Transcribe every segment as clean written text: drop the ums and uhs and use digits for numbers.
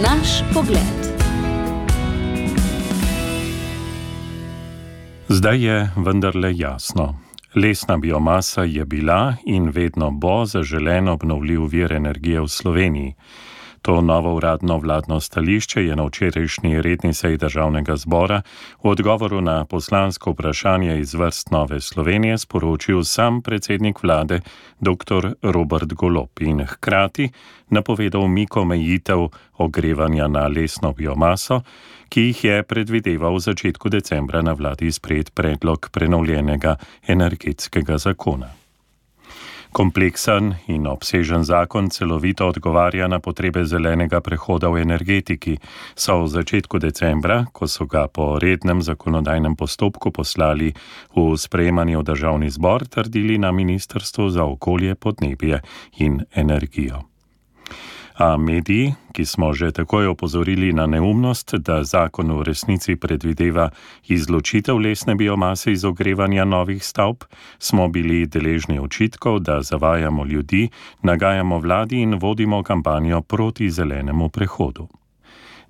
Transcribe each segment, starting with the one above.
Naš pogled. Zdaj je vendarle jasno. Lesna biomasa je bila in vedno bo zaželen obnovljiv vir energije v Sloveniji. To novo uradno vladno stališče je na včerajšnji redni seji Državnega zbora v odgovoru na poslansko vprašanje iz vrst Nove Slovenije sporočil sam predsednik vlade dr. Robert Golob in hkrati napovedal umik omejitev ogrevanja na lesno biomaso, ki jih je predvideval v začetku decembra na vladi sprejet predlog prenovljenega energetskega zakona. Kompleksen in obsežen zakon celovito odgovarja na potrebe zelenega prehoda v energetiki, so v začetku decembra, ko so ga po rednem zakonodajnem postopku poslali v sprejemanje v Državni zbor, trdili na Ministrstvu za okolje, podnebje in energijo. A mediji, ki smo že takoj opozorili na neumnost, da zakon v resnici predvideva izločitev lesne biomase iz ogrevanja novih stavb, smo bili deležni očitkov, da zavajamo ljudi, nagajamo vladi in vodimo kampanjo proti zelenemu prehodu.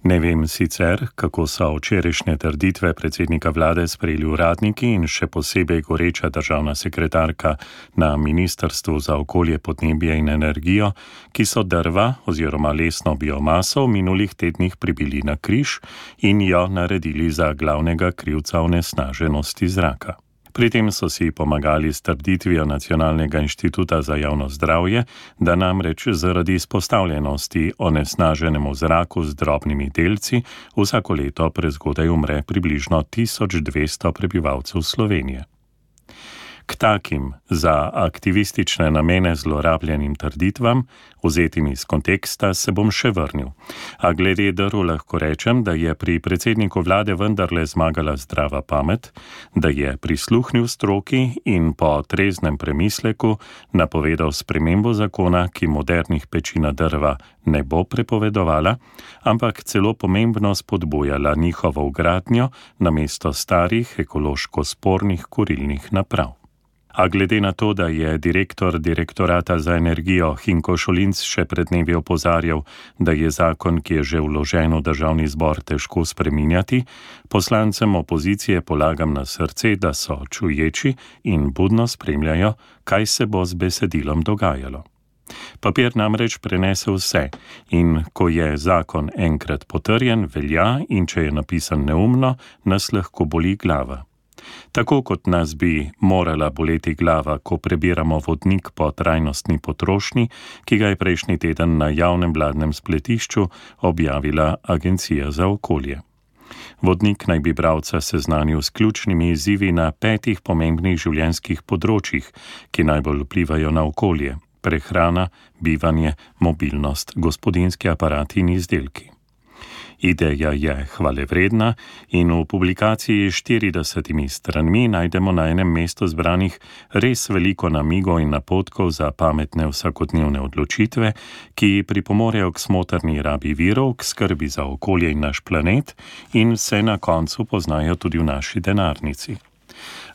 Ne vem sicer, kako so včerajšnje trditve predsednika vlade sprejeli uradniki in še posebej goreča državna sekretarka na Ministrstvu za okolje, podnebje in energijo, ki so drva oziroma lesno biomaso v minulih tednih pribili na križ in jo naredili za glavnega krivca onesnaženosti zraka. Pri tem so si pomagali s trditvijo Nacionalnega inštituta za javno zdravje, da namreč zaradi izpostavljenosti onesnaženemu zraku z drobnimi delci vsako leto prezgodaj umre približno 1200 prebivalcev Slovenije. K takim za aktivistične namene zlorabljenim trditvam, vzetim iz konteksta, se bom še vrnil. A glede drv lahko rečem, da je pri predsedniku vlade vendarle zmagala zdrava pamet, da je prisluhnil stroki in po treznem premisleku napovedal spremembo zakona, ki modernih peči na drva ne bo prepovedovala, ampak celo pomembno spodbujala njihovo vgradnjo namesto starih ekološko spornih kurilnih naprav. A glede na to, da je direktor Direktorata za energijo Hinko Šolinc še pred dnevi opozarjal, da je zakon, ki je že vložen v Državni zbor, težko spreminjati, poslancem opozicije polagam na srce, da so čuječi in budno spremljajo, kaj se bo z besedilom dogajalo. Papir namreč prenese vse in ko je zakon enkrat potrjen, velja in če je napisan neumno, nas lahko boli glava. Tako kot nas bi morala boleti glava, ko prebiramo vodnik po trajnostni potrošnji, ki ga je prejšnji teden na javnem vladnem spletišču objavila Agencija za okolje. Vodnik naj bi bralca seznanil s ključnimi izzivi na 5 pomembnih življenjskih področjih, ki najbolj vplivajo na okolje: prehrana, bivanje, mobilnost, gospodinjski aparati in izdelki. Ideja je hvalevredna in v publikaciji 40 stranmi najdemo na enem mestu zbranih res veliko namigov in napotkov za pametne vsakodnevne odločitve, ki pripomorejo k smotrni rabi virov, k skrbi za okolje in naš planet in se na koncu poznajo tudi v naši denarnici.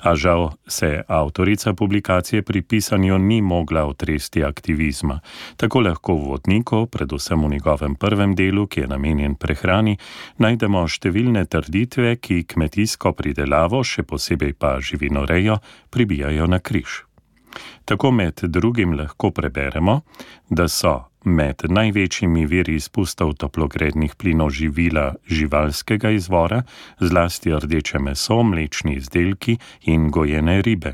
A žal se avtorica publikacije pri pisanju ni mogla otresti aktivizma. Tako lahko v vodniku, predvsem v njegovem prvem delu, ki je namenjen prehrani, najdemo številne trditve, ki kmetijsko pridelavo, še posebej pa živinorejo, pribijajo na križ. Tako med drugim lahko preberemo, da so med največjimi viri izpustov toplogrednih plinov živila živalskega izvora, zlasti rdeče meso, mlečni izdelki in gojene ribe.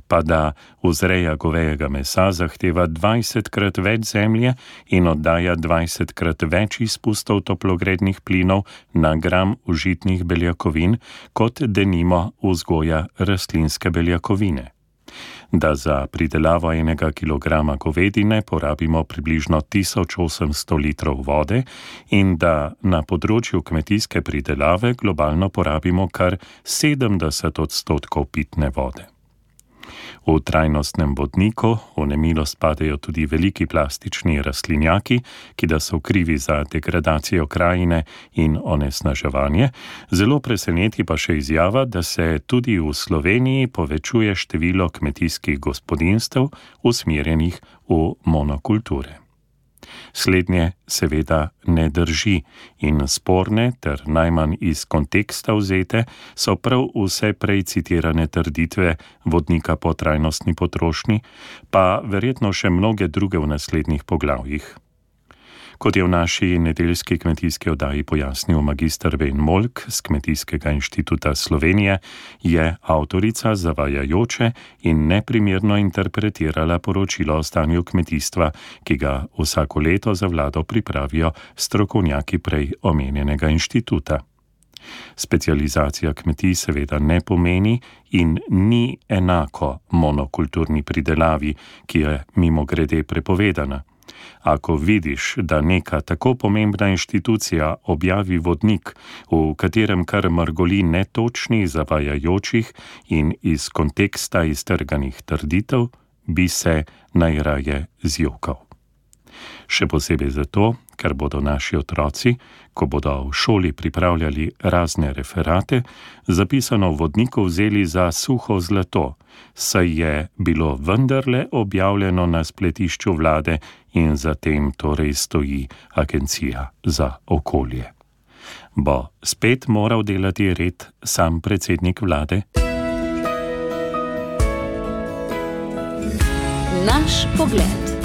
Pa da vzreja govejega mesa zahteva 20-krat več zemlje in oddaja 20-krat več izpustov toplogrednih plinov na gram užitnih beljakovin, kot denimo vzgoja rastlinske beljakovine. Da za pridelavo 1 kilograma govedine porabimo približno 1800 litrov vode in da na področju kmetijske pridelave globalno porabimo kar 70% pitne vode. V trajnostnem vodniku v nemilost padajo tudi veliki plastični rastlinjaki, ki da so krivi za degradacijo krajine in onesnaževanje, zelo preseneti pa še izjava, da se tudi v Sloveniji povečuje število kmetijskih gospodinjstev usmerjenih v monokulture. Slednje seveda ne drži in sporne ter najmanj iz konteksta vzete so prav vse prej citirane trditve vodnika po trajnostni potrošnji, pa verjetno še mnoge druge v naslednjih poglavjih. Kot je v naši nedeljski kmetijski oddaji pojasnil magister Vejn Molk z Kmetijskega inštituta Slovenije, je avtorica zavajajoče in neprimerno interpretirala poročilo o stanju kmetijstva, ki ga vsako leto za vlado pripravijo strokovnjaki prej omenjenega inštituta. Specializacija kmetij seveda ne pomeni in ni enako monokulturni pridelavi, ki je mimogrede prepovedana. Ako vidiš, da neka tako pomembna inštitucija objavi vodnik, v katerem kar mrgoli netočnih, zavajajočih in iz konteksta iztrganih trditev, bi se najraje zjokal. Še posebej zato, ker bodo naši otroci, ko bodo v šoli pripravljali razne referate, zapisano v vodniku vzeli za suho zlato, saj je bilo vendarle objavljeno na spletišču vlade in za tem torej stoji Agencija za okolje. Bo spet moral delati red sam predsednik vlade? Naš pogled.